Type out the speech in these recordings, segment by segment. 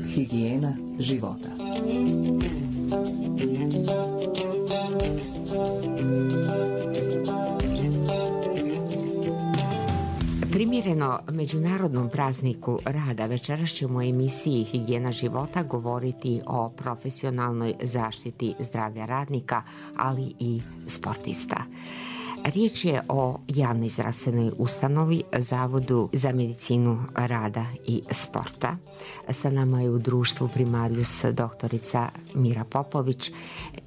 Higijena života. Primjereno Međunarodnom prazniku rada večeras ćemo u emisiji Higijena života govoriti o profesionalnoj zaštiti zdravlja radnika, ali i sportista. Riječ je o javnoj zdravstvenoj ustanovi, Zavodu za medicinu rada i sporta. Sa nama je u društvu Primaljus doktorica Mira Popović,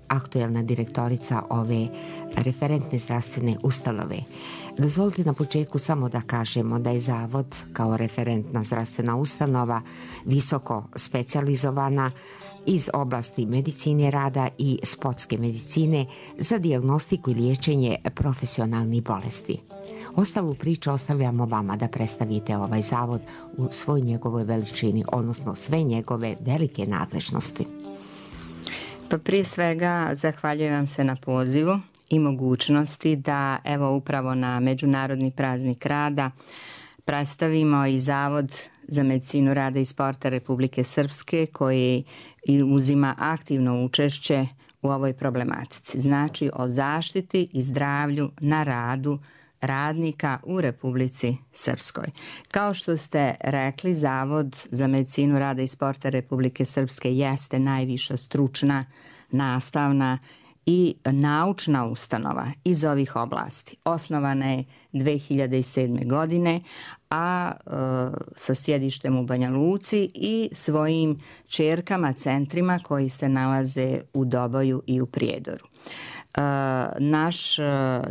aktuelna direktorica ove referentne zdravstvene ustanove. Dozvolite na početku samo da kažemo da je Zavod kao referentna zdravstvena ustanova visoko specijalizovana iz oblasti medicine rada i sportske medicine za dijagnostiku i liječenje profesionalnih bolesti. Ostalu priču ostavljamo vama da predstavite ovaj zavod u svoj njegovoj veličini, odnosno sve njegove velike nadležnosti. Pa prije svega zahvaljujem vam se na pozivu i mogućnosti da evo upravo na Međunarodni praznik rada predstavimo i Zavod za medicinu rada i sporta Republike Srpske koji uzima aktivno učešće u ovoj problematici. Znači o zaštiti i zdravlju na radu radnika u Republici Srpskoj. Kao što ste rekli, Zavod za medicinu rada i sporta Republike Srpske jeste najviša stručna, nastavna i naučna ustanova iz ovih oblasti. Osnovana je 2007. godine, a sa sjedištem u Banja Luci i svojim ćerkama centrima koji se nalaze u Doboju i u Prijedoru. Naš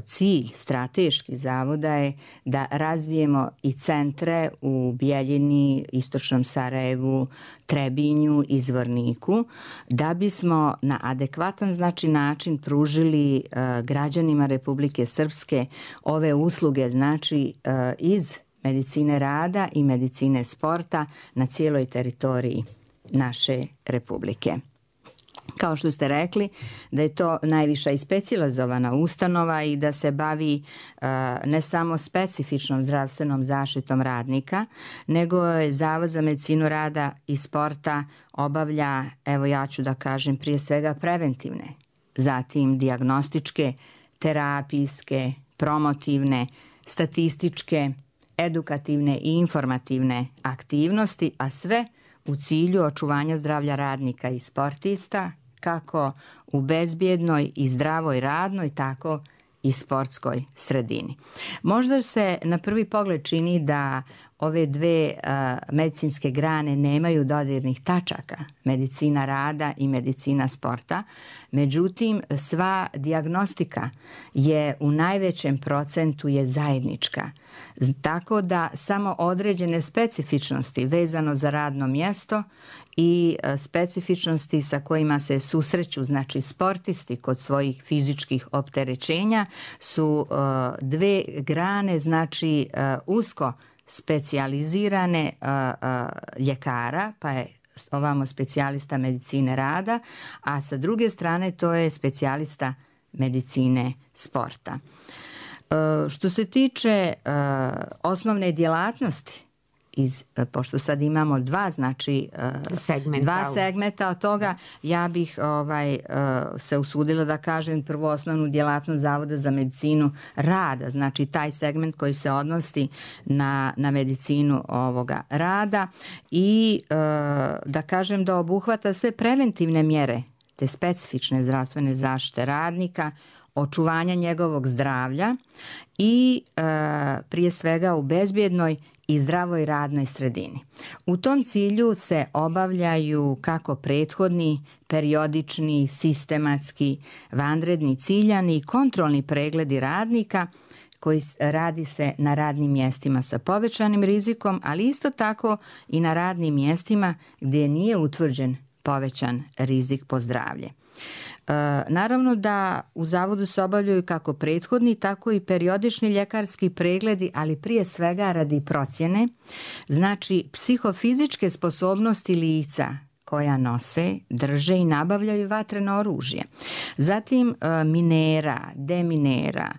cilj strateški zavoda je da razvijemo i centre u Bjeljini, Istočnom Sarajevu, Trebinju i Zvorniku, da bismo na adekvatan način pružili građanima Republike Srpske ove usluge, znači iz medicine rada i medicine sporta na cijeloj teritoriji naše Republike. Kao što ste rekli, da je to najviša i specijalizovana ustanova i da se bavi ne samo specifičnom zdravstvenom zaštitom radnika, nego je Zavod za medicinu rada i sporta obavlja, evo ja ću da kažem, prije svega preventivne, zatim dijagnostičke, terapijske, promotivne, statističke, edukativne i informativne aktivnosti, a sve u cilju očuvanja zdravlja radnika i sportista, kako u bezbjednoj i zdravoj radnoj, tako i sportskoj sredini. Možda se na prvi pogled čini da ove dve medicinske grane nemaju dodirnih tačaka, medicina rada i medicina sporta, međutim sva dijagnostika je u najvećem procentu je zajednička. Tako da samo određene specifičnosti vezano za radno mjesto i specifičnosti sa kojima se susreću, znači sportisti kod svojih fizičkih opterećenja su dve grane, znači usko specijalizirane ljekara, pa je ovamo specijalista medicine rada, a sa druge strane to je specijalista medicine sporta. Što se tiče osnovne djelatnosti, pošto sad imamo dva segmenta od toga, ja bih se usudila da kažem prvo osnovnu djelatnost Zavoda za medicinu rada, znači taj segment koji se odnosi na medicinu ovoga rada i da kažem da obuhvata sve preventivne mjere te specifične zdravstvene zaštite radnika, očuvanja njegovog zdravlja i prije svega u bezbjednoj i zdravoj radnoj sredini. U tom cilju se obavljaju kako prethodni, periodični, sistematski, vanredni, ciljani i kontrolni pregledi radnika koji radi se na radnim mjestima sa povećanim rizikom, ali isto tako i na radnim mjestima gdje nije utvrđen povećan rizik po zdravlje. Naravno da u zavodu se obavljaju kako prethodni, tako i periodični ljekarski pregledi, ali prije svega radi procjene, znači psihofizičke sposobnosti lica koja nose, drže i nabavljaju vatreno oružje. Zatim minera, deminera,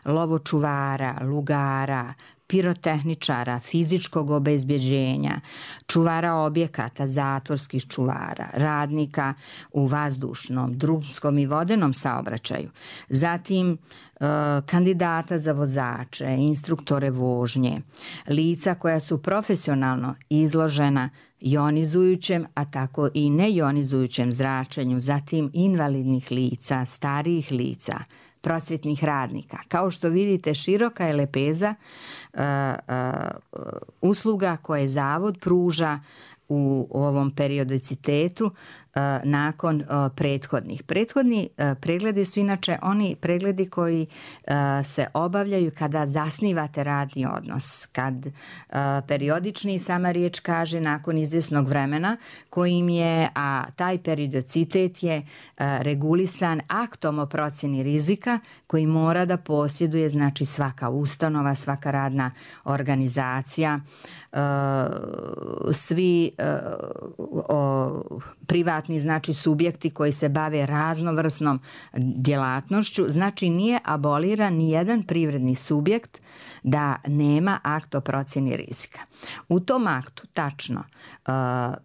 lovočuvara, lugara, pirotehničara, fizičkog obezbeđenja, čuvara objekata, zatvorskih čuvara, radnika u vazdušnom, drumskom i vodenom saobraćaju. Zatim kandidata za vozače, instruktore vožnje, lica koja su profesionalno izložena jonizujućem, a tako i nejonizujućem zračenju, zatim invalidnih lica, starijih lica, prosvjetnih radnika. Kao što vidite, široka je lepeza usluga koje Zavod pruža u ovom periodicitetu nakon prethodnih. Prethodni pregledi su inače oni pregledi koji se obavljaju kada zasnivate radni odnos, kad periodični, sama riječ kaže, nakon izvjesnog vremena kojim je, a taj periodicitet je regulisan aktom o procjeni rizika koji mora da posjeduje, znači, svaka ustanova, svaka radna organizacija, svi privatni, znači, subjekti koji se bave raznovrsnom djelatnošću. Znači, nije aboliran ni jedan privredni subjekt da nema akt o procjeni rizika. U tom aktu tačno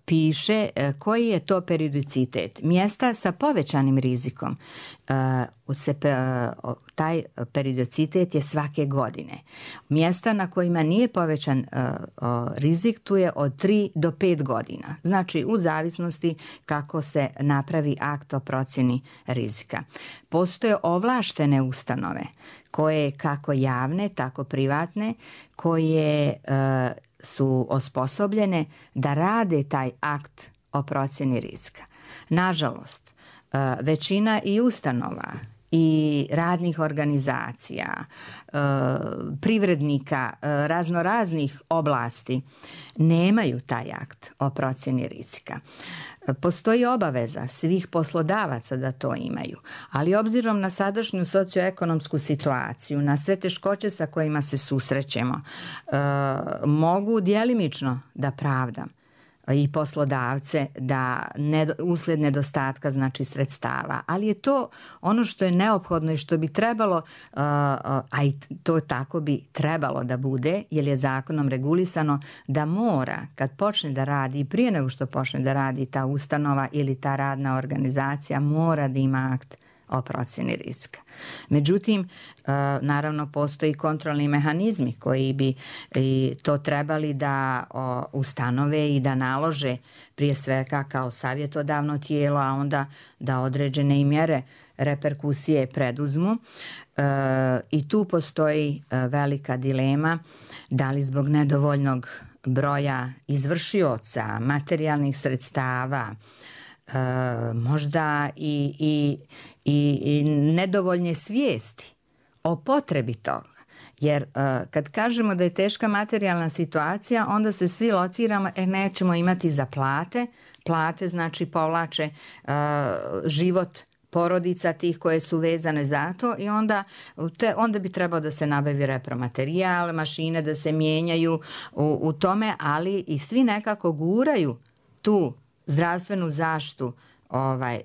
piše koji je to periodicitet. Mjesta sa povećanim rizikom, taj periodicitet je svake godine. Mjesta na kojima nije povećan rizik, tu je od 3 do 5 godina. Znači, u zavisnosti kako se napravi akt o procjeni rizika. Postoje ovlaštene ustanove koje, kako javne, tako privatne, koje su osposobljene da rade taj akt o procjeni rizika. Nažalost, većina i ustanova i radnih organizacija, privrednika raznoraznih oblasti nemaju taj akt o procjeni rizika. Postoji obaveza svih poslodavaca da to imaju, ali obzirom na sadašnju socioekonomsku situaciju, na sve teškoće sa kojima se susrećemo, mogu djelimično da pravdam i poslodavce da uslijed nedostatka, znači, sredstava, ali je to ono što je neophodno i što bi trebalo, a i to tako bi trebalo da bude, jer je zakonom regulisano da mora, kad počne da radi i prije nego što počne da radi ta ustanova ili ta radna organizacija, mora da ima akt o procjeni rizika. Međutim, naravno, postoji kontrolni mehanizmi koji bi to trebali da ustanove i da nalože, prije svega kao savjetodavno tijelo, a onda da određene i mjere reperkusije preduzmu. I tu postoji velika dilema da li zbog nedovoljnog broja izvršioca, materijalnih sredstava, možda i nedovoljne svijesti o potrebi toga. Jer kad kažemo da je teška materijalna situacija, onda se svi lociramo, nećemo imati za plate. Plate, znači, povlače život porodica tih koje su vezane za to i onda bi trebao da se nabavi repromaterijal, mašine da se mijenjaju u tome, ali i svi nekako guraju tu zdravstvenu zaštitu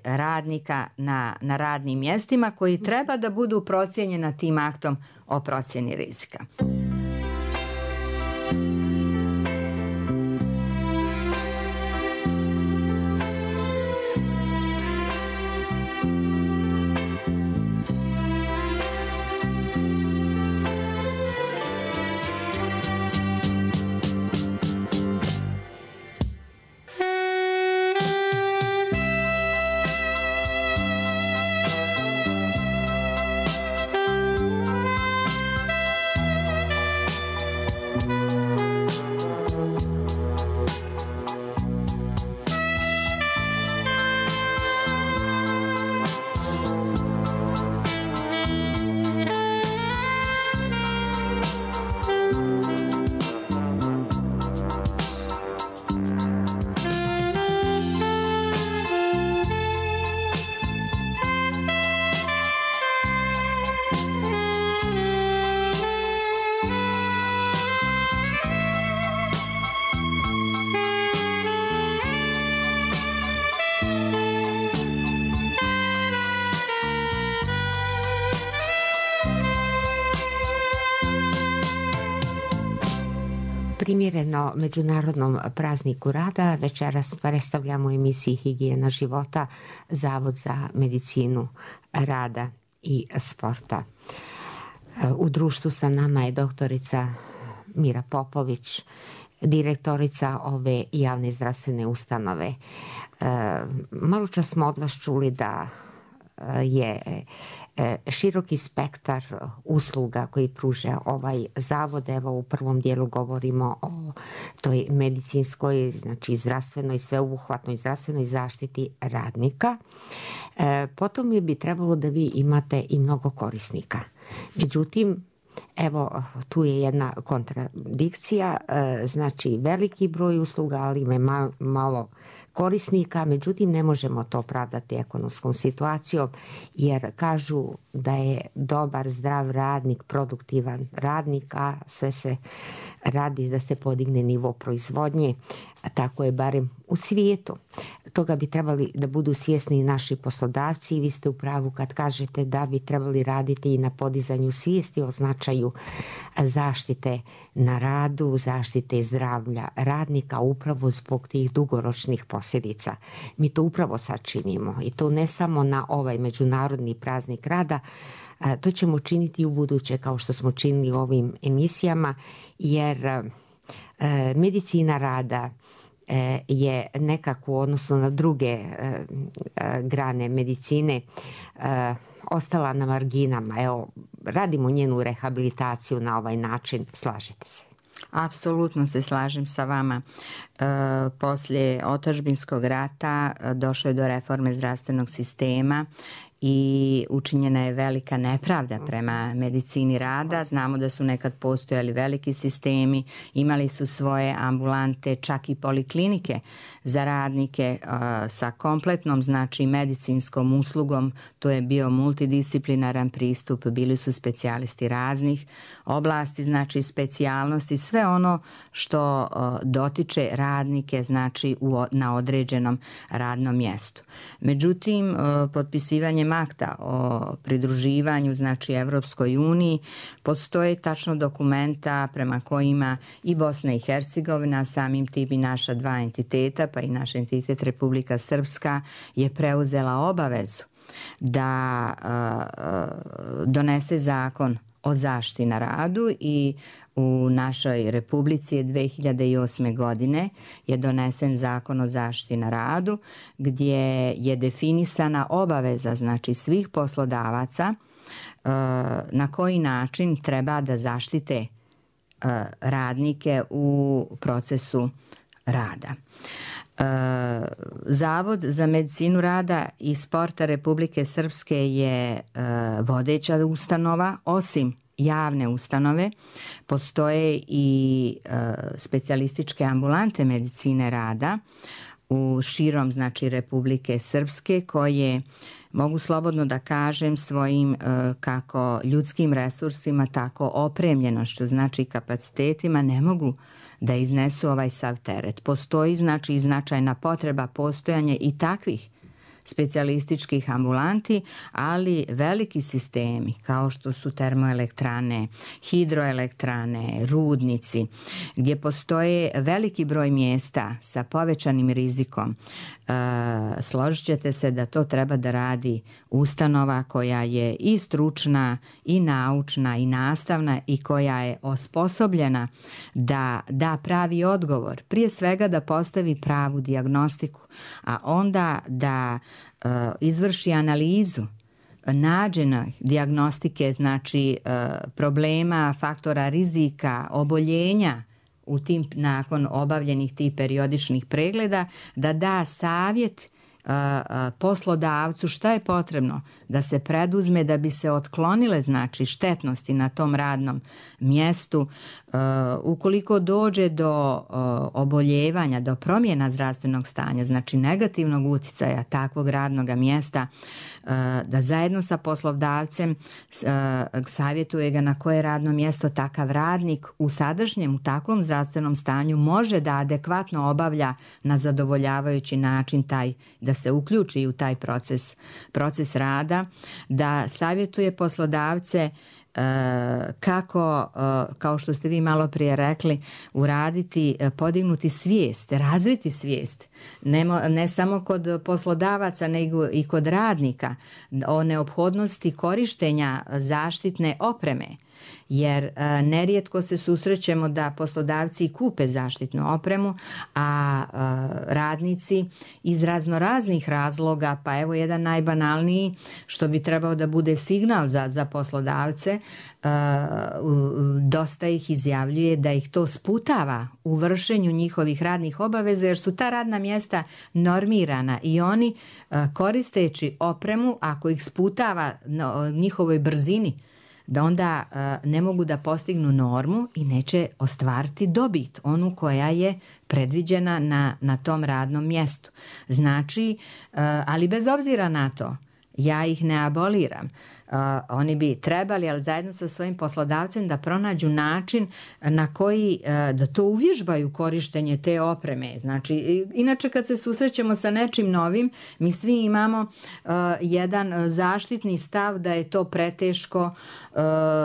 radnika na radnim mjestima koji treba da budu procijenjena tim aktom o procjeni rizika. Primjereno Međunarodnom prazniku rada večeras predstavljamo u emisiji Higijena života Zavod za medicinu rada i sporta. U društvu sa nama je doktorica Mira Popović, direktorica ove javne zdravstvene ustanove. Malo čas smo od vas čuli da je široki spektar usluga koji pruža ovaj zavod. Evo u prvom dijelu govorimo o toj medicinskoj, znači zdravstvenoj, sveobuhvatnoj zdravstvenoj zaštiti radnika. Potom bi trebalo da vi imate i mnogo korisnika. Međutim, evo tu je jedna kontradikcija, znači veliki broj usluga, ali ima malo korisnika, međutim ne možemo to opravdati ekonomskom situacijom jer kažu da je dobar, zdrav radnik, produktivan radnik, a sve se radi da se podigne nivo proizvodnje, a tako je barem u svijetu. Toga bi trebali da budu svjesni i naši poslodavci i vi ste u pravu kad kažete da bi trebali raditi i na podizanju svijesti o značaju zaštite na radu, zaštite zdravlja radnika upravo zbog tih dugoročnih posljedica. Mi to upravo sad činimo i to ne samo na ovaj Međunarodni praznik rada, to ćemo činiti i u buduće kao što smo činili u ovim emisijama jer medicina rada je nekako u odnosu na druge grane medicine ostala na marginama. Evo, radimo njenu rehabilitaciju na ovaj način. Slažete se? Apsolutno se slažem sa vama. Poslije otadžbinskog rata došlo je do reforme zdravstvenog sistema i učinjena je velika nepravda prema medicini rada. Znamo da su nekad postojali veliki sistemi, imali su svoje ambulante, čak i poliklinike za radnike sa kompletnom, znači medicinskom uslugom. To je bio multidisciplinaran pristup, bili su specijalisti raznih oblasti, znači specijalnosti, sve ono što dotiče radnike, znači na određenom radnom mjestu. Međutim, potpisivanjem akta o pridruživanju, znači Evropskoj uniji, postoje tačno dokumenta prema kojima i Bosna i Hercegovina, samim tim i naša dva entiteta, pa i naš entitet Republika Srpska, je preuzela obavezu da donese zakon o zaštiti na radu i u našoj Republici je 2008. godine je donesen zakon o zaštiti na radu gdje je definisana obaveza, znači svih poslodavaca na koji način treba da zaštite radnike u procesu rada. Zavod za medicinu rada i sporta Republike Srpske je vodeća ustanova. Osim javne ustanove postoje i specijalističke ambulante medicine rada u širom, znači, Republike Srpske koje mogu slobodno da kažem svojim kako ljudskim resursima, tako opremljenošću, znači kapacitetima ne mogu da iznesu ovaj sav teret. Postoji, znači, značajna potreba postojanja i takvih specijalističkih ambulanti, ali veliki sistemi kao što su termoelektrane, hidroelektrane, rudnici, gdje postoje veliki broj mjesta sa povećanim rizikom, složit ćete se da to treba da radi ustanova koja je i stručna, i naučna, i nastavna i koja je osposobljena da da pravi odgovor. Prije svega da postavi pravu dijagnostiku, a onda da izvrši analizu nađene dijagnostike, znači problema, faktora rizika, oboljenja u tim, nakon obavljenih tih periodičnih pregleda, da da savjet poslodavcu šta je potrebno da se preduzme da bi se otklonile, znači, štetnosti na tom radnom mjestu. Ukoliko dođe do oboljevanja, do promjena zdravstvenog stanja, znači negativnog uticaja takvog radnog mjesta, da zajedno sa poslodavcem savjetuje ga na koje radno mjesto takav radnik u sadašnjem, u takvom zdravstvenom stanju može da adekvatno obavlja na zadovoljavajući način da se uključi u taj proces rada, da savjetuje poslodavce kako, kao što ste vi malo prije rekli, uraditi, podignuti svijest, razviti svijest, ne samo kod poslodavaca nego i kod radnika o neophodnosti korištenja zaštitne opreme. Jer nerijetko se susrećemo da poslodavci kupe zaštitnu opremu, a radnici iz raznoraznih razloga, pa evo jedan najbanalniji što bi trebao da bude signal za poslodavce, dosta ih izjavljuje da ih to sputava u vršenju njihovih radnih obaveza, jer su ta radna mjesta normirana i oni koristeći opremu, ako ih sputava njihovoj brzini, da onda ne mogu da postignu normu i neće ostvariti dobit, onu koja je predviđena na tom radnom mjestu. Znači, ali bez obzira na to, ja ih ne aboliram. Oni bi trebali, ali zajedno sa svojim poslodavcem, da pronađu način na koji da to uvježbaju korištenje te opreme. Znači, inače kad se susrećemo sa nečim novim, mi svi imamo jedan zaštitni stav da je to preteško,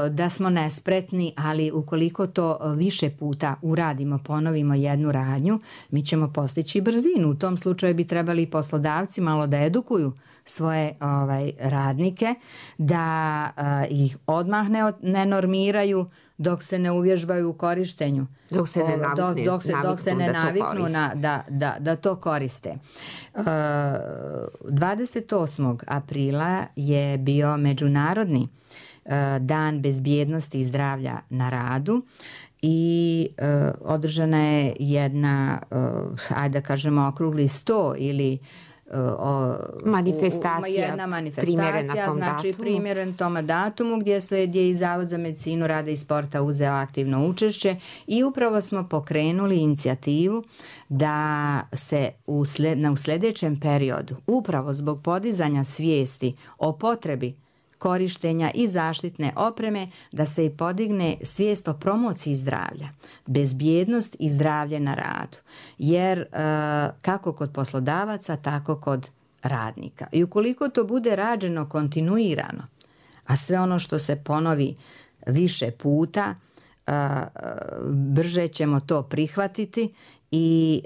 da smo nespretni, ali ukoliko to više puta uradimo, ponovimo jednu radnju, mi ćemo postići brzinu. U tom slučaju bi trebali i poslodavci malo da edukuju svoje radnike, da ih odmah ne normiraju dok se ne uvježbaju u korištenju. Dok se ne naviknu da to koriste. 28. aprila je bio Međunarodni dan bezbjednosti i zdravlja na radu i održana je jedna, ajde da kažemo, okrugli sto ili jedna manifestacija, znači primjeren tom datumu gdje je i Zavod za medicinu rada i sporta uzeo aktivno učešće i upravo smo pokrenuli inicijativu da se u sljedećem periodu, upravo zbog podizanja svijesti o potrebi korištenja i zaštitne opreme, da se i podigne svijest o promociji zdravlja, bezbjednost i zdravlje na radu. Jer kako kod poslodavaca, tako kod radnika. I ukoliko to bude rađeno kontinuirano, a sve ono što se ponovi više puta, brže ćemo to prihvatiti i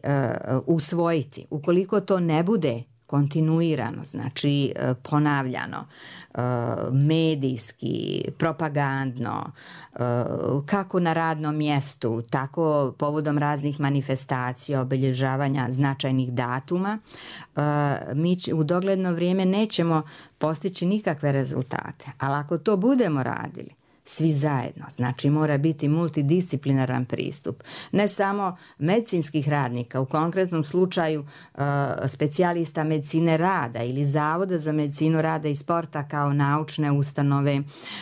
usvojiti. Ukoliko to ne bude kontinuirano, znači ponavljano, medijski, propagandno, kako na radnom mjestu, tako povodom raznih manifestacija, obilježavanja značajnih datuma, mi u dogledno vrijeme nećemo postići nikakve rezultate. Ali ako to budemo radili svi zajedno, znači mora biti multidisciplinaran pristup, ne samo medicinskih radnika, u konkretnom slučaju specijalista medicine rada ili Zavoda za medicinu rada i sporta kao naučne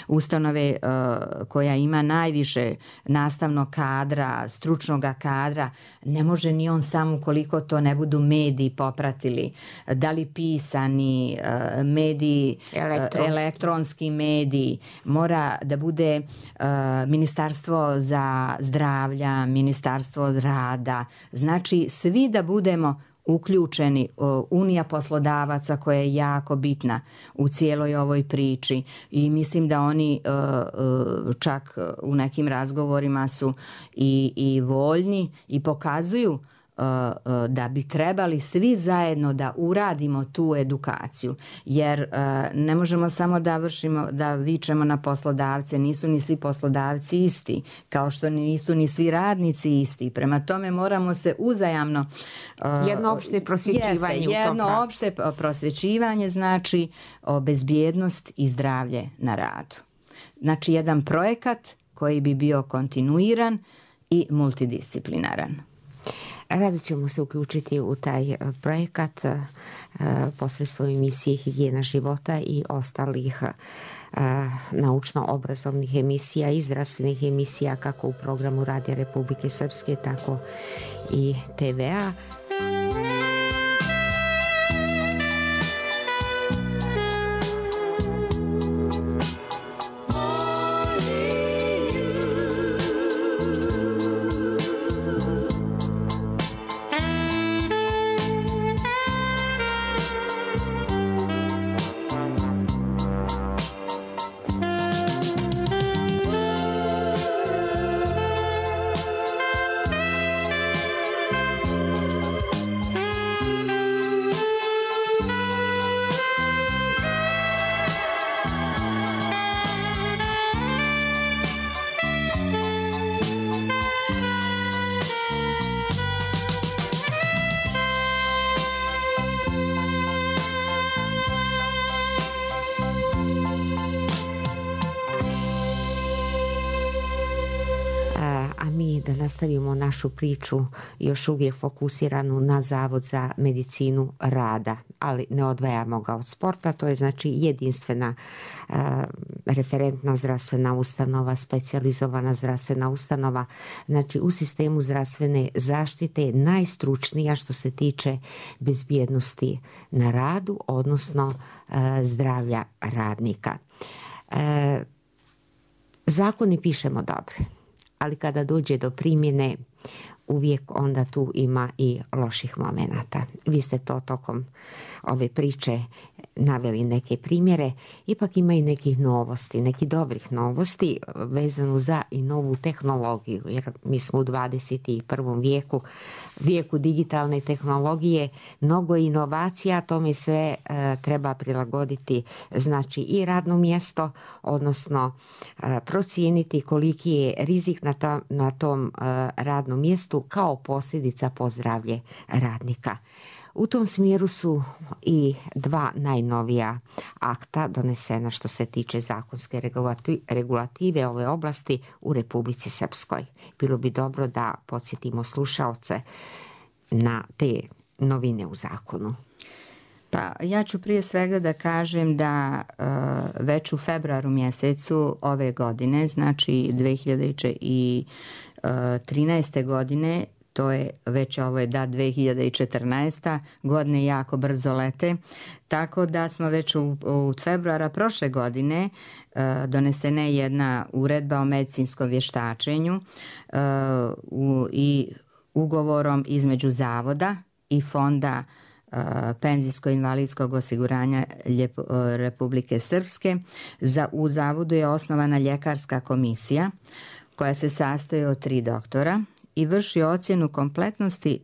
ustanove koja ima najviše nastavnog kadra, stručnog kadra. Ne može ni on sam ukoliko to ne budu mediji popratili, da li pisani mediji, elektronski mediji, mora da bude Ministarstvo za zdravlja, Ministarstvo rada, znači svi da budemo uključeni, Unija poslodavaca koja je jako bitna u cijeloj ovoj priči i mislim da oni čak u nekim razgovorima su i voljni i pokazuju da bi trebali svi zajedno da uradimo tu edukaciju, jer ne možemo samo da vičemo na poslodavce, nisu ni svi poslodavci isti, kao što nisu ni svi radnici isti. Prema tome moramo se uzajamno jedno opšte prosvjećivanje jedno opšte prosvjećivanje, znači bezbjednost i zdravlje na radu. Znači jedan projekat koji bi bio kontinuiran i multidisciplinaran. Rado ćemo se uključiti u taj projekat posle svoje emisije Higijena života i ostalih naučno-obrazovnih emisija i zdravstvenih emisija kako u programu Radija Republike Srpske, tako i TV-a. da nastavimo našu priču još uvijek fokusiranu na Zavod za medicinu rada, ali ne odvajamo ga od sporta. To je znači jedinstvena referentna zdravstvena ustanova, specijalizovana zdravstvena ustanova, znači u sistemu zdravstvene zaštite najstručnija što se tiče bezbjednosti na radu, odnosno zdravlja radnika. Zakoni pišemo dobre, ali kada dođe do primjene uvijek onda tu ima i loših momenata. Vi ste to tokom ove priče naveli neke primjere, ipak ima i nekih novosti, nekih dobrih novosti vezano za i novu tehnologiju, jer mi smo u 21. vijeku digitalne tehnologije, mnogo inovacija, tome sve treba prilagoditi znači i radno mjesto, odnosno procijeniti koliki je rizik na tom radnom mjestu kao posljedica po zdravlje radnika. U tom smjeru su i dva najnovija akta donesena što se tiče zakonske regulative ove oblasti u Republici Srpskoj. Bilo bi dobro da podsjetimo slušaoce na te novine u zakonu. Pa ja ću prije svega da kažem da već u februaru mjesecu ove godine, znači 2013. godine, to je već ovo je 2014. godine jako brzo lete, tako da smo već u februara prošle godine donesena je jedna uredba o medicinskom vještačenju i ugovorom između Zavoda i Fonda penzijsko-invalidskog osiguranja Republike Srpske. U Zavodu je osnovana ljekarska komisija koja se sastoji od 3 doktora i vrši ocjenu kompletnosti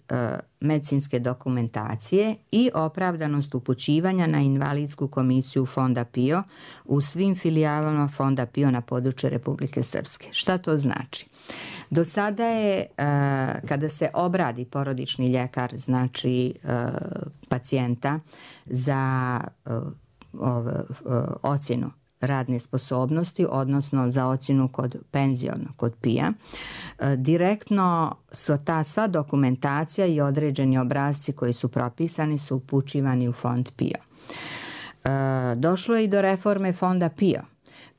medicinske dokumentacije i opravdanost upućivanja na invalidsku komisiju Fonda PIO u svim filijalama Fonda PIO na području Republike Srpske. Šta to znači? Do sada je, kada se obradi porodični ljekar, znači pacijenta za ocjenu radne sposobnosti, odnosno za ocjenu kod PIA, direktno su ta sva dokumentacija i određeni obrasci koji su propisani su upućivani u Fond PIO. Došlo je i do reforme Fonda PIO,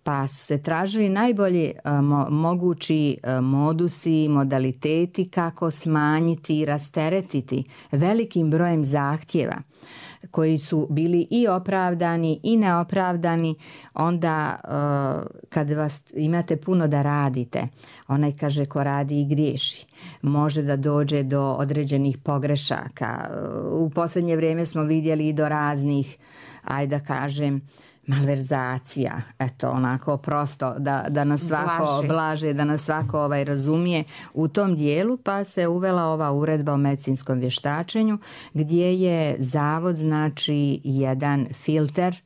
pa su se tražili najbolji mogući modusi, modaliteti kako smanjiti i rasteretiti velikim brojem zahtjeva koji su bili i opravdani i neopravdani. Onda kad vas imate puno da radite, onaj kaže ko radi i griješi, može da dođe do određenih pogrešaka. U posljednje vrijeme smo vidjeli i do raznih, ajde da kažem, malverzacija, eto onako prosto da nas svako blaže, da nas svako razumije u tom dijelu, pa se uvela ova uredba o medicinskom vještačenju gdje je Zavod znači jedan filter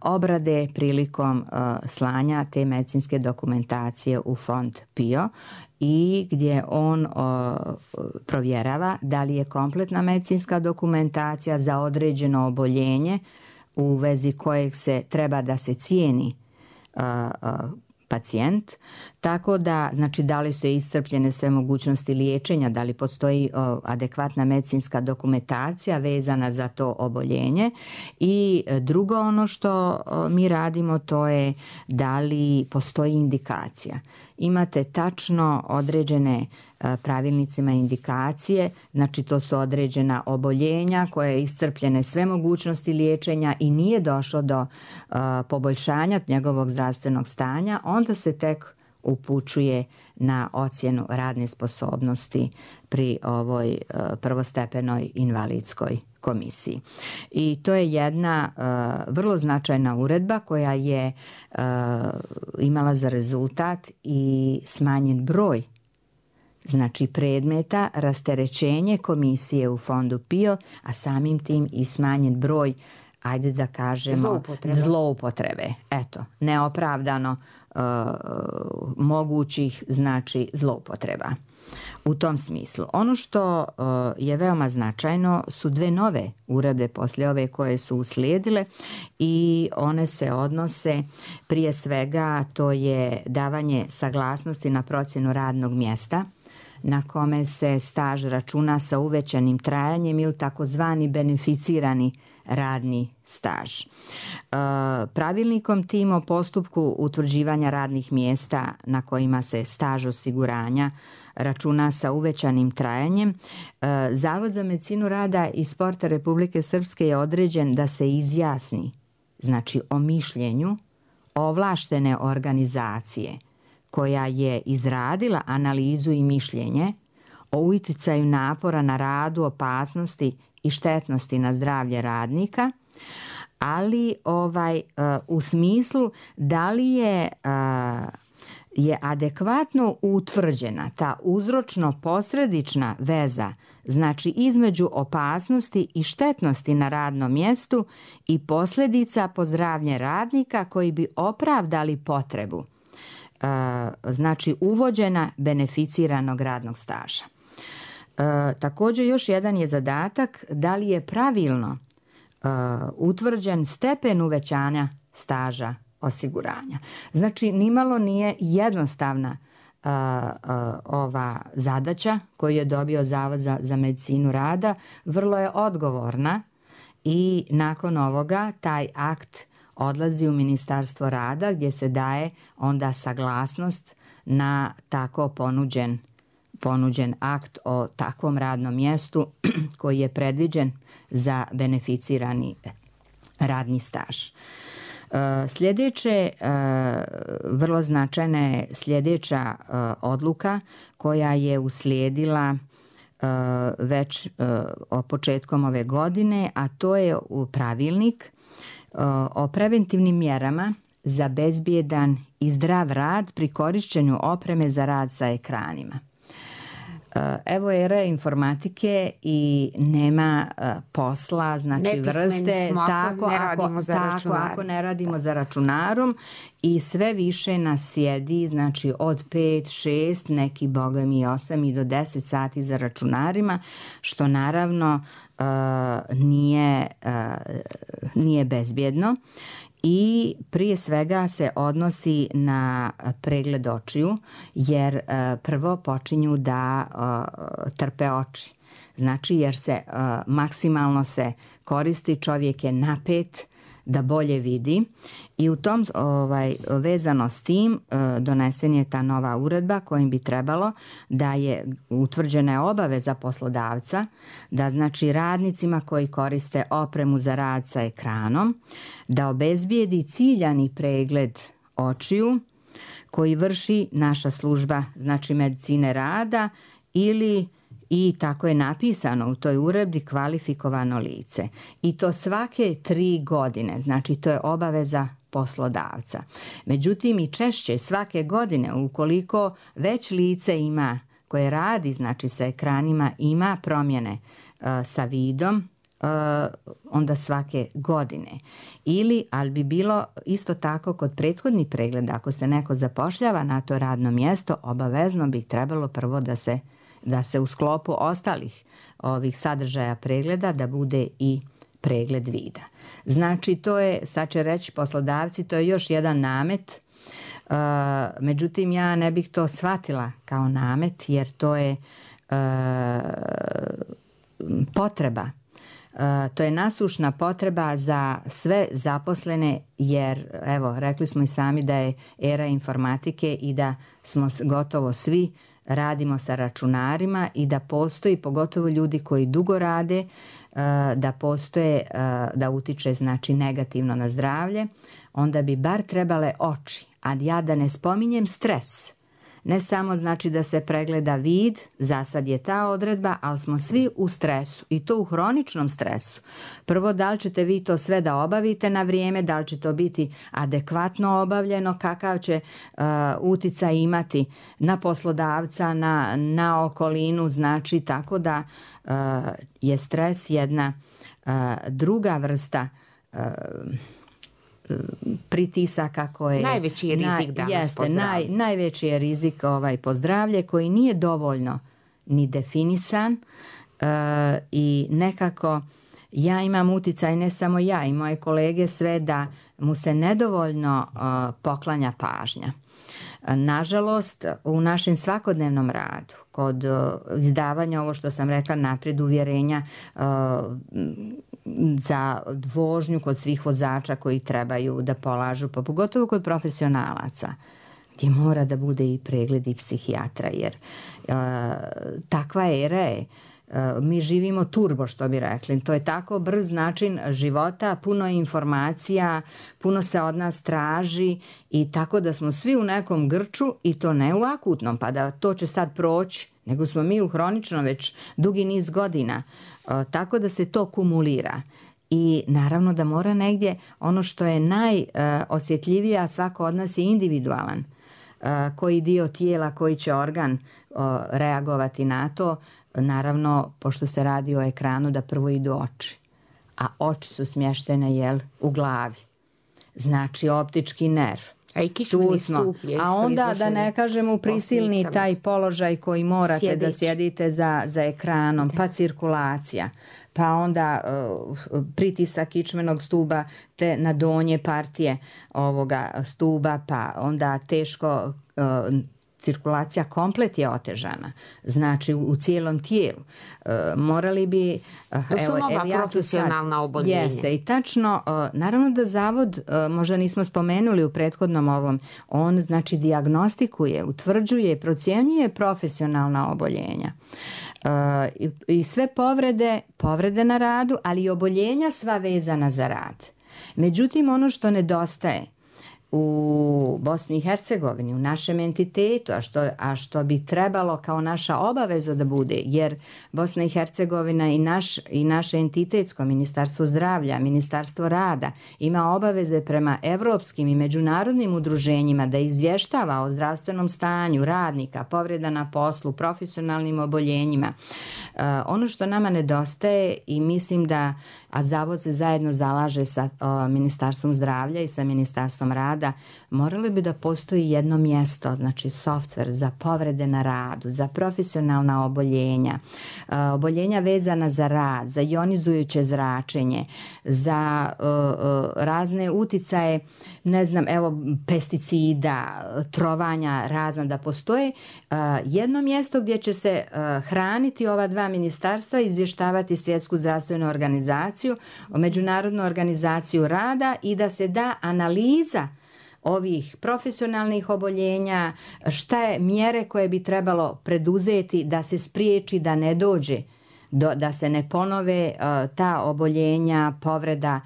obrade prilikom slanja te medicinske dokumentacije u Fond PIO i gdje on provjerava da li je kompletna medicinska dokumentacija za određeno oboljenje u vezi kojeg se treba da se cijeni pacijent, tako da, znači, da li su iscrpljene sve mogućnosti liječenja, da li postoji adekvatna medicinska dokumentacija vezana za to oboljenje. I drugo ono što mi radimo, to je da li postoji indikacija. Imate tačno određene pravilnicima indikacije, znači to su određena oboljenja koje je iscrpljene sve mogućnosti liječenja i nije došlo do poboljšanja njegovog zdravstvenog stanja, onda se tek upućuje na ocjenu radne sposobnosti pri ovoj prvostepenoj invalidskoj komisiji. I to je jedna vrlo značajna uredba koja je imala za rezultat i smanjen broj znači predmeta, rasterećenje komisije u Fondu PIO, a samim tim i smanjen broj ajde da kažemo, zloupotrebe. Eto, neopravdano mogućih, znači, zloupotreba. U tom smislu. Ono što je veoma značajno su 2 nove uredbe poslije ove koje su uslijedile i one se odnose, prije svega, to je davanje saglasnosti na procjenu radnog mjesta na kome se staž računa sa uvećanim trajanjem ili takozvani beneficirani radni staž. Pravilnikom tim o postupku utvrđivanja radnih mjesta na kojima se staž osiguranja računa sa uvećanim trajanjem, Zavod za medicinu rada i sporta Republike Srpske je određen da se izjasni, znači o mišljenju ovlaštene organizacije koja je izradila analizu i mišljenje o uticaju napora na radu, opasnosti i štetnosti na zdravlje radnika, ali u smislu da li je adekvatno utvrđena ta uzročno-posredična veza, znači između opasnosti i štetnosti na radnom mjestu i posljedica po zdravlje radnika koji bi opravdali potrebu, znači uvođena beneficiranog radnog staža. Također još jedan je zadatak da li je pravilno utvrđen stepen uvećanja staža osiguranja. Znači, nimalo nije jednostavna ova zadaća koju je dobio Zavod za medicinu rada, vrlo je odgovorna i nakon ovoga taj akt odlazi u Ministarstvo rada gdje se daje onda saglasnost na tako ponuđen akt o takvom radnom mjestu koji je predviđen za beneficirani radni staž. Sljedeće, vrlo značajna je sljedeća odluka koja je uslijedila već početkom ove godine, a to je pravilnik o preventivnim mjerama za bezbjedan i zdrav rad pri korištenju opreme za rad sa ekranima. Evo era informatike i nema posla, znači vrste, ako ne radimo za računarom i sve više nas sjedi, znači od 5, 6, neki boga mi 8 i do 10 sati za računarima, što naravno nije bezbjedno. I prije svega se odnosi na pregled očiju, jer prvo počinju da trpe oči. Znači jer se maksimalno se koristi, čovjek je napet da bolje vidi i u tom vezano s tim donesen je ta nova uredba kojim bi trebalo da je utvrđena obaveza poslodavca da znači radnicima koji koriste opremu za rad sa ekranom da obezbijedi ciljani pregled očiju koji vrši naša služba znači medicine rada ili i tako je napisano u toj uredbi kvalifikovano lice. I to svake 3 godine, znači to je obaveza poslodavca. Međutim i češće svake godine ukoliko već lice ima koje radi znači sa ekranima ima promjene sa vidom, onda svake godine. Ali bi bilo isto tako kod prethodnih pregleda, ako se neko zapošljava na to radno mjesto, obavezno bi trebalo prvo da se u sklopu ostalih ovih sadržaja pregleda da bude i pregled vida. Znači to je, sad će reći poslodavci, to je još jedan namet, međutim ja ne bih to shvatila kao namet jer to je potreba. To je nasušna potreba za sve zaposlene jer evo rekli smo i sami da je era informatike i da smo gotovo svi radimo sa računarima i da postoji, pogotovo ljudi koji dugo rade, da postoje, da utiče znači negativno na zdravlje, onda bi bar trebale oči, a ja da ne spominjem stres. Ne samo znači da se pregleda vid, za sad je ta odredba, ali smo svi u stresu i to u hroničnom stresu. Prvo, da li ćete vi to sve da obavite na vrijeme, da li će to biti adekvatno obavljeno, kakav će uticaj imati na poslodavca, na okolinu, znači tako da je stres jedna druga vrsta pritisaka koje... Najveći je rizik danas po zdravlje. Najveći je rizik po zdravlje koji nije dovoljno ni definisan i nekako ja imam uticaj, ne samo ja i moje kolege, sve da mu se nedovoljno poklanja pažnja. Nažalost, u našem svakodnevnom radu, kod izdavanja, ovo što sam rekla naprijed, uvjerenja za vožnju kod svih vozača koji trebaju da polažu, pa pogotovo kod profesionalaca, gdje mora da bude i pregled i psihijatra, jer takva era je. Mi živimo turbo, što bi rekli. To je tako brz način života, puno informacija, puno se od nas traži i tako da smo svi u nekom grču i to ne u akutnom, pa da to će sad proći, nego smo mi u hroničnom već dugi niz godina. Tako da se to kumulira. I naravno da mora negdje ono što je najosjetljivije, a svako od nas je individualan. Koji dio tijela, koji će organ reagovati na to, naravno, pošto se radi o ekranu, da prvo idu oči. A oči su smještene, u glavi. Znači, optički nerv. A i kičmeni stup je isto. A onda da ne kažemo prisilni taj položaj koji morate da sjedite za ekranom, pa cirkulacija, pa onda pritisak kičmenog stuba te na donje partije ovoga stuba, pa onda teško cirkulacija komplet je otežana, znači u cijelom tijelu. Morali bi... To su nova profesionalna oboljenja. Jeste, i tačno, naravno da zavod, možda nismo spomenuli u prethodnom ovom, on znači dijagnostikuje, utvrđuje, procjenjuje profesionalna oboljenja. I sve povrede na radu, ali i oboljenja sva vezana za rad. Međutim, ono što nedostaje u Bosni i Hercegovini, u našem entitetu, a što bi trebalo kao naša obaveza da bude, jer Bosna i Hercegovina i naše entitetsko Ministarstvo zdravlja, Ministarstvo rada ima obaveze prema evropskim i međunarodnim udruženjima da izvještava o zdravstvenom stanju radnika, povreda na poslu, profesionalnim oboljenjima. Ono što nama nedostaje i mislim da, a zavod se zajedno zalaže sa Ministarstvom zdravlja i sa Ministarstvom rada, moralo bi da postoji jedno mjesto, znači softver za povrede na radu, za profesionalna oboljenja, oboljenja vezana za rad, za ionizujuće zračenje, za razne uticaje, ne znam, pesticida, trovanja razna, da postoje jedno mjesto gdje će se hraniti ova dva ministarstva, izvještavati Svjetsku zdravstvenu organizaciju, Međunarodnu organizaciju rada i da se da analiza ovih profesionalnih oboljenja, šta je mjere koje bi trebalo preduzeti da se spriječi da ne dođe, da se ne ponove ta oboljenja, povreda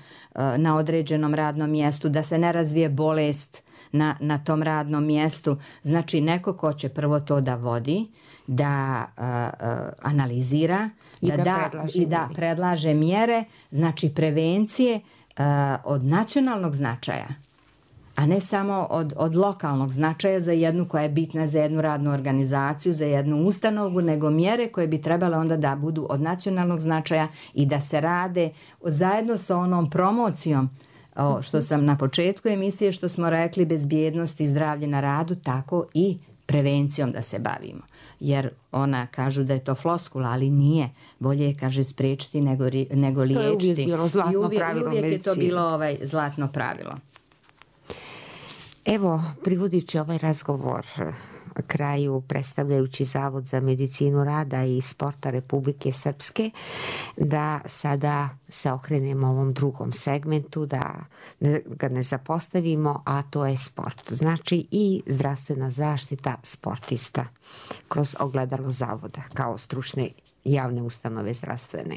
na određenom radnom mjestu, da se ne razvije bolest na tom radnom mjestu. Znači neko ko će prvo to da vodi, da analizira i da predlaže mjere, znači prevencije od nacionalnog značaja, a ne samo od lokalnog značaja za jednu koja je bitna za jednu radnu organizaciju, za jednu ustanovu, nego mjere koje bi trebale onda da budu od nacionalnog značaja i da se rade zajedno sa onom promocijom, što sam na početku emisije, što smo rekli, bezbjednost i zdravlje na radu, tako i prevencijom da se bavimo. Jer ona kažu da je to floskula, ali nije. Bolje je, kaže, spriječiti nego liječiti. To je uvijek bilo zlatno pravilo medicine. Uvijek je to bilo zlatno pravilo. Evo, privodeći ovaj razgovor kraju, predstavljajući Zavod za medicinu rada i sporta Republike Srpske, da sada se okrenemo ovom drugom segmentu, da ga ne zapostavimo, a to je sport. Znači i zdravstvena zaštita sportista kroz ogledalo Zavoda kao stručne javne ustanove zdravstvene.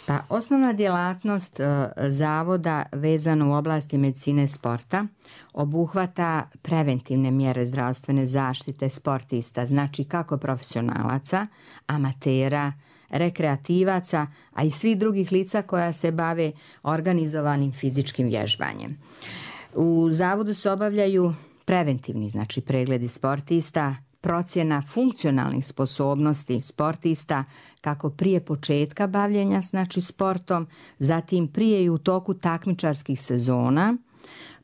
Pa osnovna djelatnost zavoda vezana u oblasti medicine sporta obuhvata preventivne mjere zdravstvene zaštite sportista, znači kako profesionalaca, amatera, rekreativaca, a i svih drugih lica koja se bave organizovanim fizičkim vježbanjem. U zavodu se obavljaju preventivni, znači pregledi sportista, procjena funkcionalnih sposobnosti sportista kako prije početka bavljenja znači sportom, zatim prije i u toku takmičarskih sezona,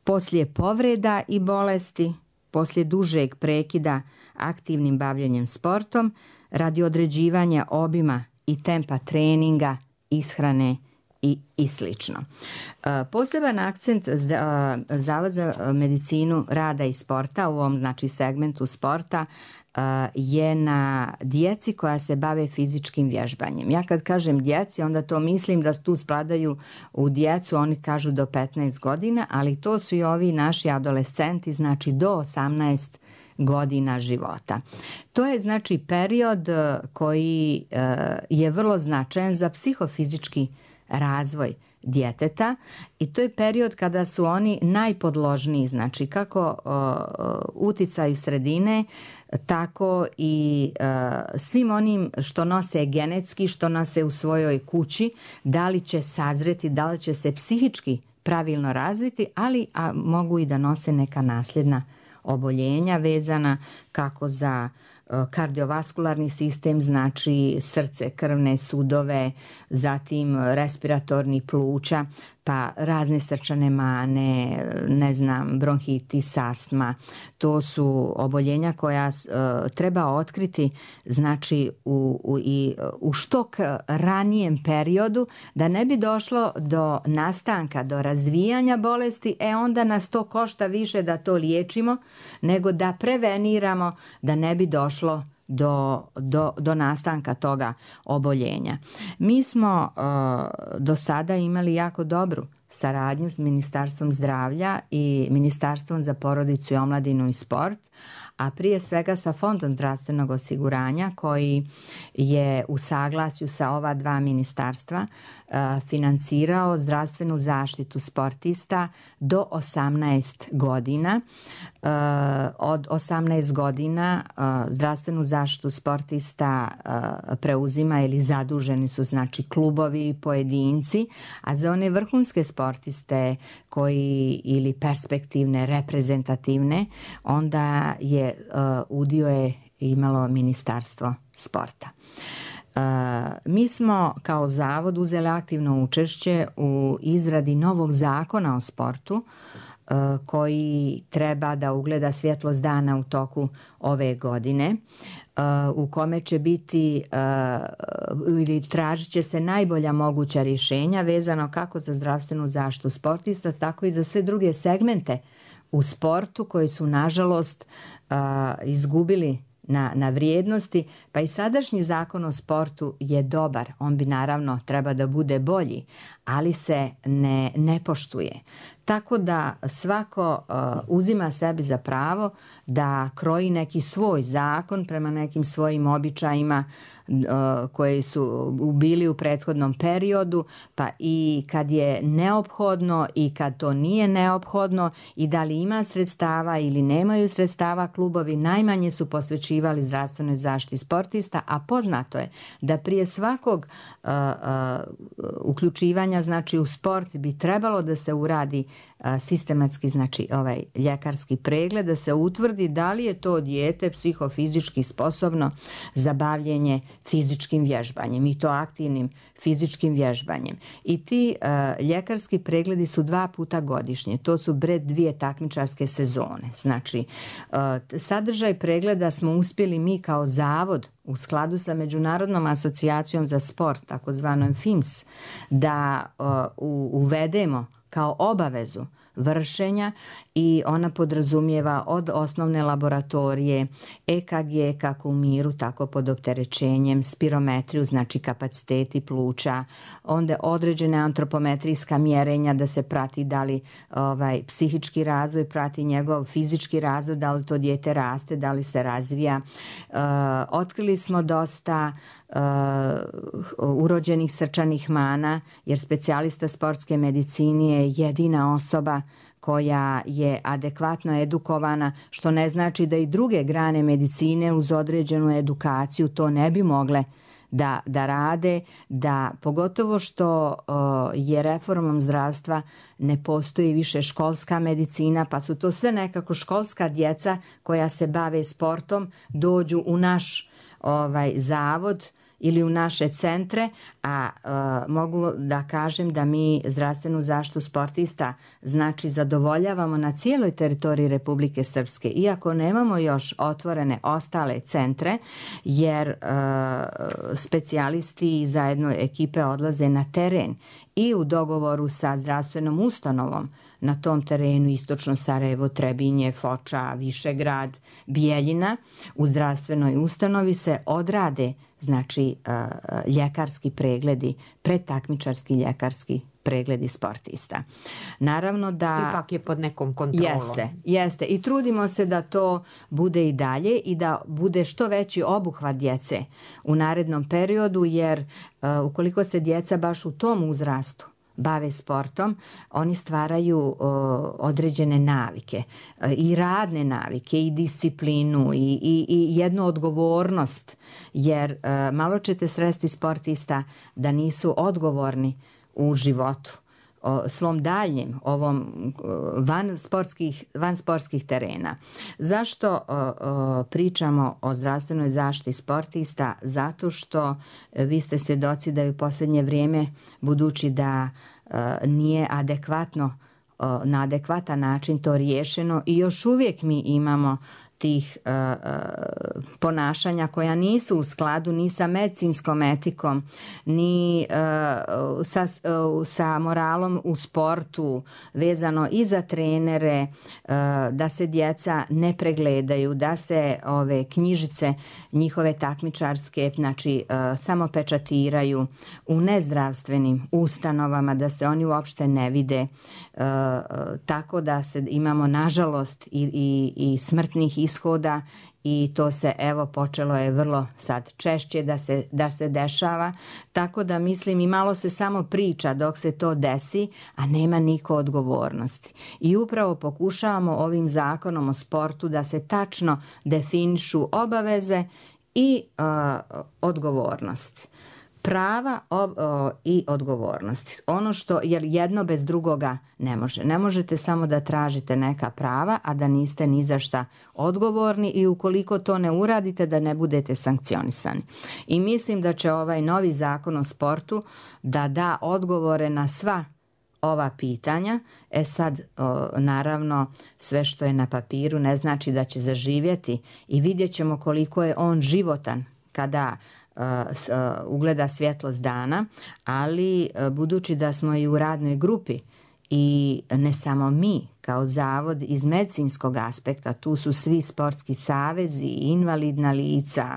poslije povreda i bolesti, poslije dužeg prekida aktivnim bavljenjem sportom, radi određivanja obima i tempa treninga, ishrane i slično. Poseban akcent Zavod za medicinu rada i sporta u ovom znači segmentu sporta je na djeci koja se bave fizičkim vježbanjem. Ja kad kažem djeci, onda to mislim da tu spadaju u djecu, oni kažu do 15 godina, ali to su i ovi naši adolescenti, znači do 18 godina života. To je znači period koji je vrlo značajan za psihofizički razvoj djeteta i to je period kada su oni najpodložniji, znači kako uticaju sredine, tako i svim onim što nose genetski, što nose u svojoj kući, da li će sazreti, da li će se psihički pravilno razviti, ali mogu i da nose neka nasljedna oboljenja vezana kako za kardiovaskularni sistem, znači srce, krvne sudove, zatim respiratorni pluća, pa razne srčane mane, bronhitis, astma. To su oboljenja koja treba otkriti znači u što ranijem periodu, da ne bi došlo do nastanka, do razvijanja bolesti, onda nas to košta više da to liječimo, nego da preveniramo da ne bi došlo do nastanka toga oboljenja. Mi smo do sada imali jako dobru saradnju s Ministarstvom zdravlja i Ministarstvom za porodicu i omladinu i sport, a prije svega sa Fondom zdravstvenog osiguranja koji je u saglasju sa ova dva ministarstva financirao zdravstvenu zaštitu sportista do 18 godina. Od 18 godina zdravstvenu zaštitu sportista preuzima ili zaduženi su znači klubovi i pojedinci, a za one vrhunske sportiste koji ili perspektivne, reprezentativne, onda je udio je imalo Ministarstvo sporta. Mi smo kao zavod uzeli aktivno učešće u izradi novog zakona o sportu koji treba da ugleda svjetlost dana u toku ove godine, u kome će biti ili tražit će se najbolja moguća rješenja vezano kako za zdravstvenu zaštitu sportista, tako i za sve druge segmente u sportu koji su nažalost izgubili na vrijednosti, pa i sadašnji zakon o sportu je dobar, on bi naravno treba da bude bolji, ali se ne poštuje. Tako da svako uzima sebi za pravo da kroji neki svoj zakon prema nekim svojim običajima koji su bili u prethodnom periodu, pa i kad je neophodno i kad to nije neophodno i da li ima sredstava ili nemaju sredstava, klubovi najmanje su posvećivali zdravstvenoj zaštiti sportista, a poznato je da prije svakog uključivanja znači u sport bi trebalo da se uradi sistematski znači ovaj ljekarski pregled, da se utvrdi da li je to dijete psihofizički sposobno za bavljenje fizičkim vježbanjem i to aktivnim fizičkim vježbanjem. I ti ljekarski pregledi su 2 puta godišnje. To su pred 2 takmičarske sezone. Znači, sadržaj pregleda smo uspjeli mi kao zavod u skladu sa Međunarodnom asocijacijom za sport, takozvanom FIMS, da uvedemo kao obavezu vršenja i ona podrazumijeva od osnovne laboratorije EKG kako u miru, tako pod opterećenjem, spirometriju, znači kapaciteti pluća, onda određene antropometrijska mjerenja da se prati da li psihički razvoj prati njegov fizički razvoj, da li to dijete raste, da li se razvija. Otkrili smo dosta urođenih srčanih mana, jer specijalista sportske medicine je jedina osoba koja je adekvatno edukovana, što ne znači da i druge grane medicine uz određenu edukaciju to ne bi mogle da rade, da pogotovo što je reformom zdravstva ne postoji više školska medicina, pa su to sve nekako školska djeca koja se bave sportom, dođu u naš zavod ili u naše centre, a mogu da kažem da mi zdravstvenu zaštitu sportista znači zadovoljavamo na cijeloj teritoriji Republike Srpske, iako nemamo još otvorene ostale centre, jer specijalisti i zajedno ekipe odlaze na teren i u dogovoru sa zdravstvenom ustanovom na tom terenu Istočno Sarajevo, Trebinje, Foča, Višegrad, Bijeljina, u zdravstvenoj ustanovi se odrade znači ljekarski pregledi, predtakmičarski ljekarski pregledi sportista. Naravno da... Ipak je pod nekom kontrolom. Jeste. I trudimo se da to bude i dalje i da bude što veći obuhvat djece u narednom periodu, jer ukoliko se djeca baš u tom uzrastu bave sportom, oni stvaraju određene navike i radne navike i disciplinu i jednu odgovornost, jer malo ćete sresti sportista da nisu odgovorni u životu svom daljem ovom van sportskih terena. Zašto pričamo o zdravstvenoj zaštiti sportista? Zato što vi ste svjedoci da je u posljednje vrijeme, budući da nije adekvatno, na adekvatan način to riješeno i još uvijek mi imamo tih ponašanja koja nisu u skladu ni sa medicinskom etikom, ni sa moralom u sportu, vezano i za trenere, da se djeca ne pregledaju, da se ove knjižice njihove takmičarske znači samo pečatiraju u nezdravstvenim ustanovama, da se oni uopšte ne vide, tako da se imamo nažalost i smrtnih ishoda, i to se počelo je vrlo sad češće da se dešava, tako da mislim i malo se samo priča dok se to desi, a nema niko odgovornosti. I upravo pokušavamo ovim zakonom o sportu da se tačno definišu obaveze i odgovornosti. Prava i odgovornosti. Ono što, jer jedno bez drugoga ne može. Ne možete samo da tražite neka prava, a da niste ni za šta odgovorni, i ukoliko to ne uradite da ne budete sankcionisani. I mislim da će ovaj novi zakon o sportu da odgovore na sva ova pitanja. Sad, naravno, sve što je na papiru ne znači da će zaživjeti, i vidjet ćemo koliko je on životan kada ugleda svjetlost dana, ali budući da smo i u radnoj grupi, i ne samo mi kao zavod iz medicinskog aspekta, tu su svi sportski savezi, invalidna lica,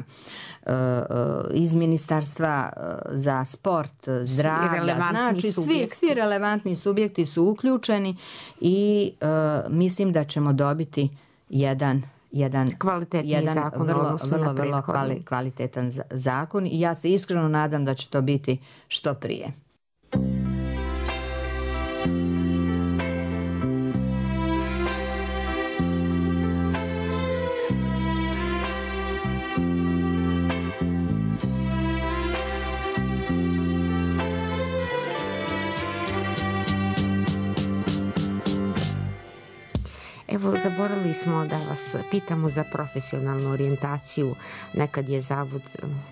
iz Ministarstva za sport, zdravlja, znači svi relevantni subjekti su uključeni, i mislim da ćemo dobiti jedan zakon, vrlo kvalitetan zakon, i ja se iskreno nadam da će to biti što prije. Evo, zaboravili smo da vas pitamo za profesionalnu orijentaciju. Nekad je Zavod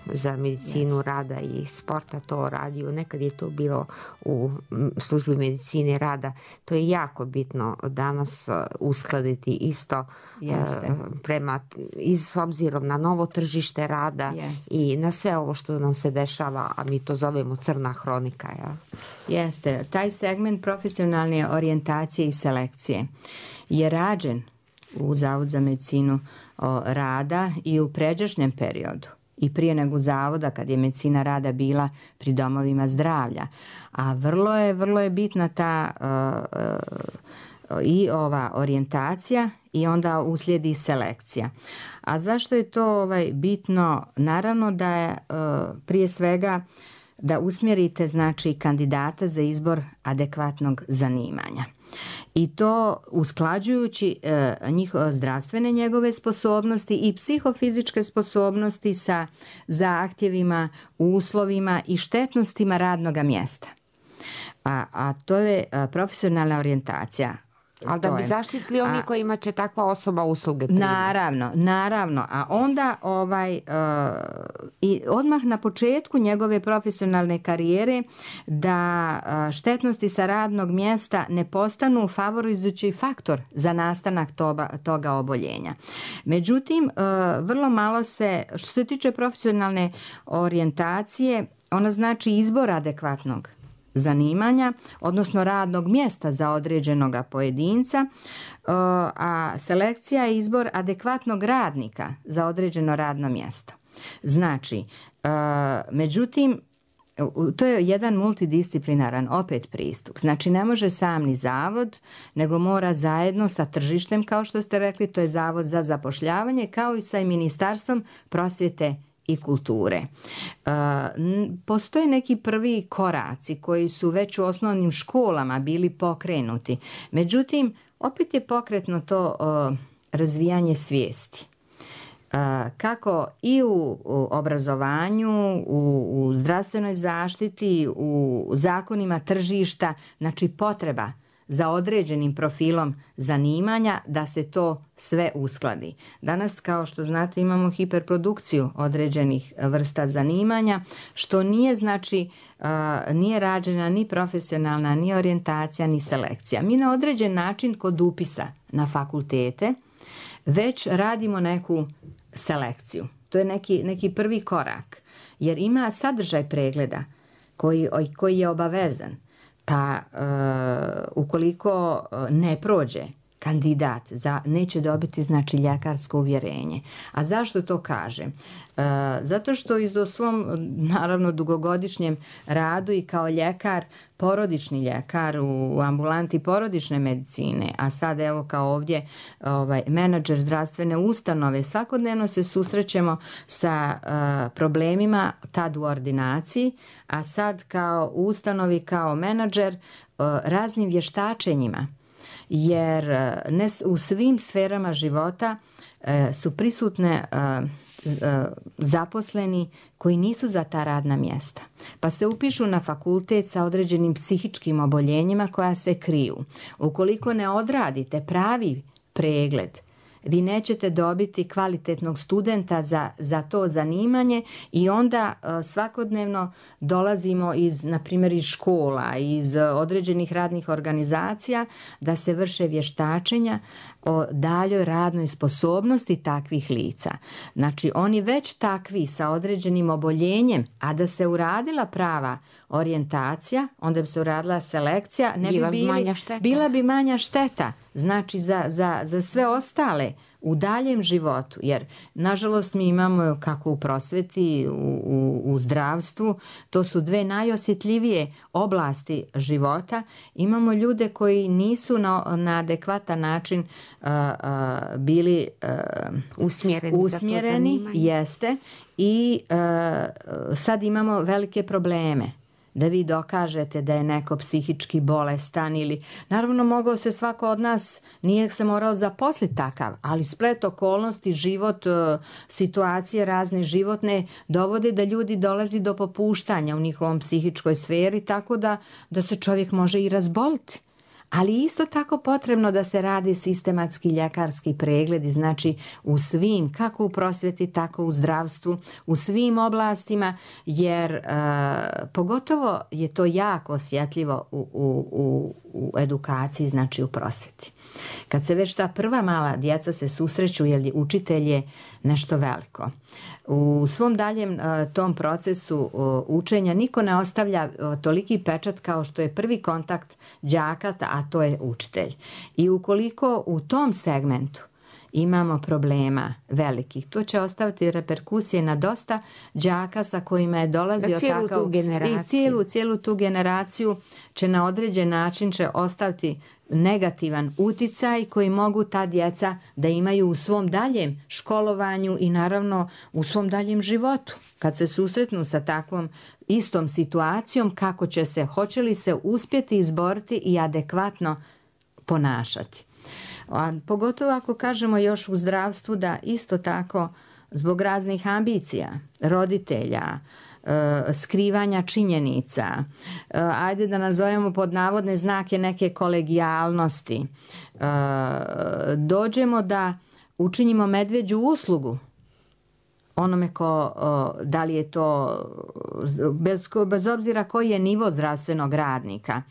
za medicinu rada i sporta to radio, nekad je to bilo u službi medicine rada. To je jako bitno danas uskladiti isto s obzirom na novo tržište rada i na sve ovo što nam se dešava, a mi to zovemo crna hronika. Ja? Jeste, taj segment profesionalne orijentacije i selekcije je rađen u Zavod za medicinu rada i u pređašnjem periodu, i prije nego zavoda, kad je medicina rada bila pri domovima zdravlja. A vrlo je bitna ta i ova orijentacija, i onda uslijedi selekcija. A zašto je to bitno? Naravno da je prije svega da usmjerite znači kandidata za izbor adekvatnog zanimanja. I to usklađujući zdravstvene njegove sposobnosti i psihofizičke sposobnosti sa zahtjevima, uslovima i štetnostima radnog mjesta. A to je profesionalna orijentacija. Ali da bi zaštitili oni kojima će takva osoba usluge primiti. Naravno. A onda i odmah na početku njegove profesionalne karijere da štetnosti sa radnog mjesta ne postanu favorizujući faktor za nastanak toga oboljenja. Međutim, vrlo malo se, što se tiče profesionalne orijentacije, ona znači izbor adekvatnog zanimanja, odnosno radnog mjesta za određenog pojedinca, a selekcija je izbor adekvatnog radnika za određeno radno mjesto. Znači, međutim, to je jedan multidisciplinaran opet pristup. Znači, ne može sam ni zavod, nego mora zajedno sa tržištem, kao što ste rekli, to je Zavod za zapošljavanje, kao i sa Ministarstvom prosvjete i kulture. Postoje neki prvi koraci koji su već u osnovnim školama bili pokrenuti. Međutim, opet je pokretno to razvijanje svijesti. Kako i u obrazovanju, u zdravstvenoj zaštiti, u zakonima tržišta, znači potreba za određenim profilom zanimanja da se to sve uskladi. Danas, kao što znate, imamo hiperprodukciju određenih vrsta zanimanja, što nije znači nije rađena ni profesionalna, ni orijentacija, ni selekcija. Mi na određen način kod upisa na fakultete već radimo neku selekciju. To je neki prvi korak, jer ima sadržaj pregleda koji je obavezan. Pa ukoliko ne prođe kandidat neće dobiti znači ljekarsko uvjerenje. A zašto to kažem? Zato što u svom naravno dugogodišnjem radu i kao ljekar, porodični ljekar u ambulanti porodične medicine, a sad evo kao ovdje menadžer zdravstvene ustanove, svakodnevno se susrećemo sa problemima tad u ordinaciji, a sad kao u ustanovi kao menadžer raznim vještačenjima. Jer u svim sferama života su prisutne zaposleni koji nisu za ta radna mjesta. Pa se upišu na fakultet sa određenim psihičkim oboljenjima koja se kriju. Ukoliko ne odradite pravi pregled, vi nećete dobiti kvalitetnog studenta za to zanimanje i onda svakodnevno dolazimo na primjer iz škola, iz određenih radnih organizacija da se vrše vještačenja o daljoj radnoj sposobnosti takvih lica. Znači oni već takvi sa određenim oboljenjem, a da se uradila prava orijentacija, onda bi se uradila selekcija, bila bi manja šteta. Znači za sve ostale u daljem životu, jer nažalost mi imamo kako u prosvjeti, u zdravstvu, to su dve najosjetljivije oblasti života. Imamo ljude koji nisu na adekvatan način bili usmjereni, jeste, i sad imamo velike probleme. Da vi dokažete da je neko psihički bolestan ili, naravno mogao se svako od nas, nije se morao zaposliti takav, ali splet okolnosti, život, situacije razne životne dovode da ljudi dolazi do popuštanja u njihovom psihičkoj sferi, tako da se čovjek može i razboliti. Ali isto tako potrebno da se radi sistematski ljekarski pregledi, znači u svim, kako u prosvjeti, tako u zdravstvu, u svim oblastima, jer pogotovo je to jako osjetljivo u edukaciji, znači u prosvjeti. Kad se već ta prva mala djeca se susreću, jer učitelj je nešto veliko. U svom daljem tom procesu učenja niko ne ostavlja toliki pečat kao što je prvi kontakt đaka, a to je učitelj. I ukoliko u tom segmentu imamo problema velikih, to će ostaviti reperkusije na dosta đaka sa kojima je dolazio takav i cijelu tu generaciju će na određen način će ostaviti negativan uticaj koji mogu ta djeca da imaju u svom daljem školovanju i naravno u svom daljem životu. Kad se susretnu sa takvom istom situacijom, kako će se, hoće li se uspjeti izboriti i adekvatno ponašati. A pogotovo ako kažemo još u zdravstvu da isto tako zbog raznih ambicija roditelja, skrivanja činjenica, ajde da nazovemo pod navodne znake neke kolegijalnosti, dođemo da učinimo medvjeđu uslugu onome ko, da li je to, bez obzira koji je nivo zdravstvenog radnika,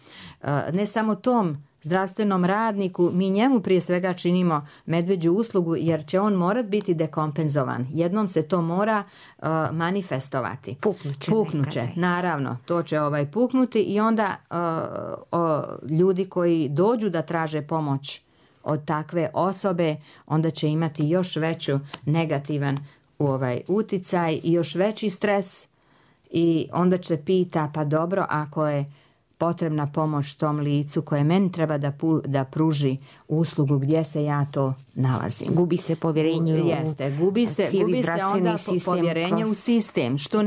ne samo tom zdravstvenom radniku, mi njemu prije svega činimo medvjeđu uslugu jer će on morat biti dekompenzovan. Jednom se to mora manifestovati. Puknuće, naravno, to će puknuti i onda ljudi koji dođu da traže pomoć od takve osobe, onda će imati još veću negativan uticaj i još veći stres i onda će pita, pa dobro, ako je potrebna pomoć tom licu koje meni treba da pruži uslugu, gdje se ja to nalazim. Gubi se povjerenje gubi se onda povjerenje u sistem, što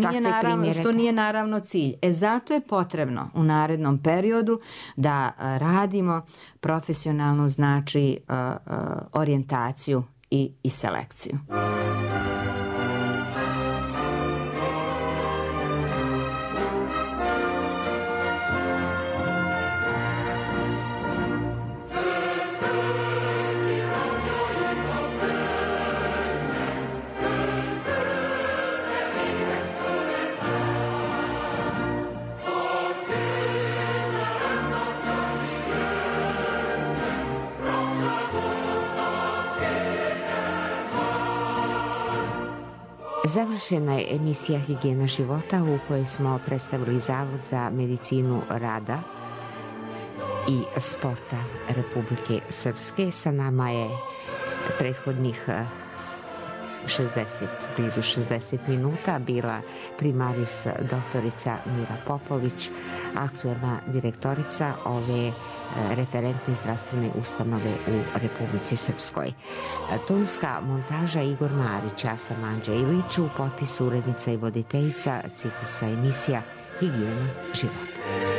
nije naravno cilj. Zato je potrebno u narednom periodu da radimo profesionalnu, znači orijentaciju i selekciju. Završena je emisija Higijena života u kojoj smo predstavili Zavod za medicinu rada i sporta Republike Srpske. Sa nama je prethodnih blizu 60 minuta bila primarijus doktorica Mira Popović, aktuelna direktorica ove referentne zdravstvene ustanove u Republici Srpskoj. Tonska montaža Igor Marić, ja sam Anđa Ilić, u potpisu urednica i voditeljica ciklusa emisija Higijena života.